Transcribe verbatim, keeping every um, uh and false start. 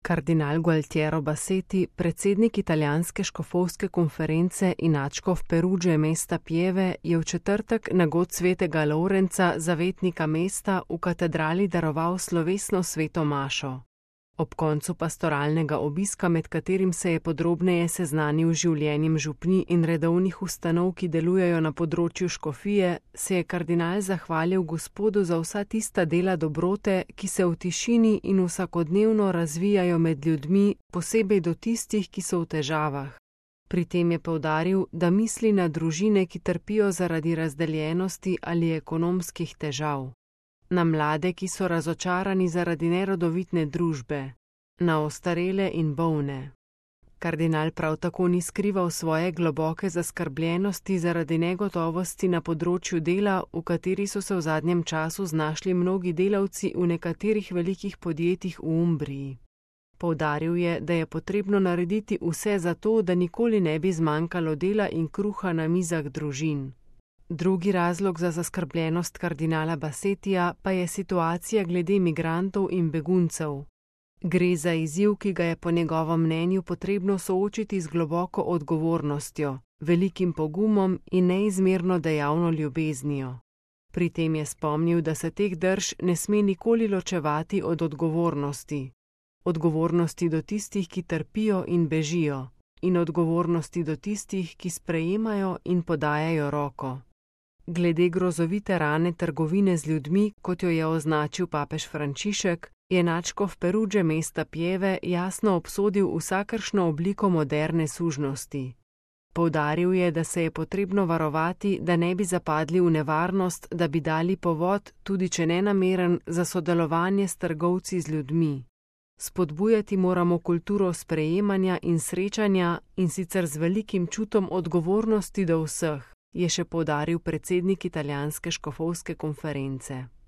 Kardinal Gualtiero Bassetti, predsednik italijanske škofovske konference in nadškof Perudže mesta Pieve, je v četrtek na god svetega Lorenca, zavetnika mesta, v katedrali daroval slovesno sveto mašo. Ob koncu pastoralnega obiska, med katerim se je podrobneje seznanil z življenjem župnij in redovnih ustanov, ki delujejo na področju škofije, se je kardinal zahvalil Gospodu za vsa tista dela dobrote, ki se v tišini in vsakodnevno razvijajo med ljudmi, posebej do tistih, ki so v težavah. Pri tem je poudaril, da misli na družine, ki trpijo zaradi razdeljenosti ali ekonomskih težav. Na mlade, ki so razočarani zaradi nerodovitne družbe, na ostarele in bolne. Kardinal prav tako ni skrival svoje globoke zaskrbljenosti zaradi negotovosti na področju dela, v kateri so se v zadnjem času znašli mnogi delavci v nekaterih velikih podjetjih v Umbriji. Poudaril je, da je potrebno narediti vse za to, da nikoli ne bi zmanjkalo dela in kruha na mizah družin. Drugi razlog za zaskrbljenost kardinala Bassettija pa je situacija glede migrantov in beguncev. Gre za izziv, ki ga je po njegovem mnenju potrebno soočiti z globoko odgovornostjo, velikim pogumom in neizmerno dejavno ljubeznijo. Pri tem je spomnil, da se teh drž ne sme nikoli ločevati od odgovornosti. Odgovornosti do tistih, ki trpijo in bežijo, in odgovornosti do tistih, ki sprejemajo in podajajo roko. Glede grozovite rane trgovine z ljudmi, kot jo je označil papež Frančišek, je nadškof Perudže mesta Pieve jasno obsodil vsakršno obliko moderne sužnosti. Poudaril je, da se je potrebno varovati, da ne bi zapadli v nevarnost, da bi dali povod, tudi če nenameren, za sodelovanje s trgovci z ljudmi. Spodbujati moramo kulturo sprejemanja in srečanja, in sicer z velikim čutom odgovornosti do vseh, je še poudaril predsednik italijanske škofovske konference.